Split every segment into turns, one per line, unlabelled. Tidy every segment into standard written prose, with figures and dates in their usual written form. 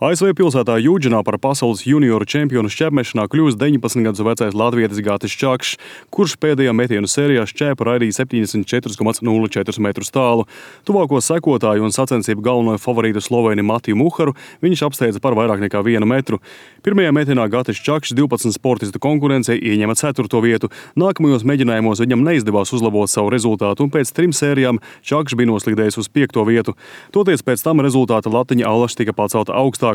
ASV pilsētā Jūdženā par pasaules junioru čempionu šķēpmešanā kļūst 19 gadus vecais latvietis Gatis Čakšs, kurš pēdējā metienu sērijā šķēpu raidīja 74,04 metrus tālu. Tuvāko sekotāju un sacensību galveno favorītu Slovēni Matiju Muharu viņš apsteidza par vairāk nekā 1 metru. Pirmajā metienā Gatis Čakšs 12 sportistu konkurencei ieņēma 4. vietu. Nākamajos mēģinājumos viņam neizdevās uzlabot savu rezultātu, un pēc 3 sērijām Čakšs bija noslīdējis uz 5. vietu. Toties pēc tam rezultāta latiņa allaž tika pacelta augstāk.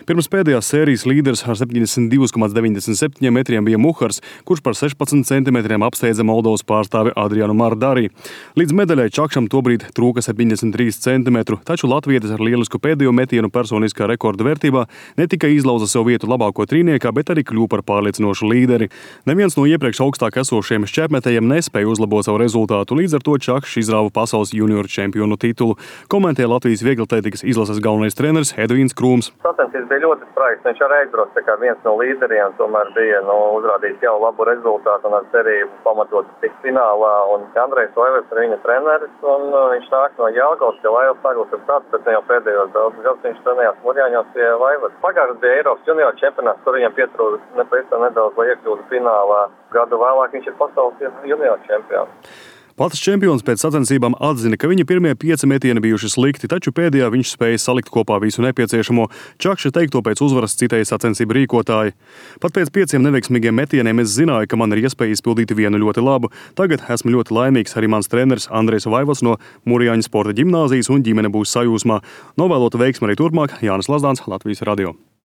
Pirms pēdējās sērijas līderis ar 72,97 metriem bija Muhars, kurš par 16 centimetriem apsteidza Moldovas pārstāvi Adrianu Mardarī. Līdz medaļai Čakšam tobrīd trūka 73 centimetru, taču latvietis ar lielisku pēdējo metienu personiskā rekorda vērtībā ne tikai izlauza sev vietu labāko trīniekā, bet arī kļuva par pārliecinošu līderi. Neviens no iepriekš augstāk esošiem šķēpmetējiem nespēja uzlabot savu rezultātu, līdz ar to Čakšs izrāva pasaules junioru čempionu titulu, komentē Latvijas vieglatlētikas izlases galvenais treneris Edvīns Krūms.
Sacensības bija ļoti spraigas, viņš arī aizbrauca kā viens no līderiem, tomēr bija uzrādījis jau labu rezultātu un ar cerību pamatot tik finālā. Un Andrejs Vaivars ir viņa treneris, un viņš nāk no Jelgavas, ja Laivas Saglas ir tāds, bet ne jau pēdējos daudzus gadus viņš trenējās Murjāņos pie Vaivas. Pagājušajā bija Eiropas junioru čempionāts, kur viņam pietrūka nedaudz, lai iekļūtu finālā. Gadu vēlāk viņš ir pasaules junioru čempions.
Pats čempions pēc sacensībām atzina, ka viņa pirmie 5 metieni bijuši slikti, taču pēdējā viņš spēja salikt kopā visu nepieciešamo. Čakša teikto pēc uzvaras citēja sacensību rīkotāji. Pat pēc 5 neveiksmīgiem metieniem es zināju, ka man ir iespēja izpildīt vienu ļoti labu. Tagad esmu ļoti laimīgs, arī mans treneris Andrejs Vaivals no Murjāņu sporta ģimnāzijas un ģimene būs sajūsmā. Novēlota veiksmi arī turpmāk. Jānis Lazdāns, Latvijas radio.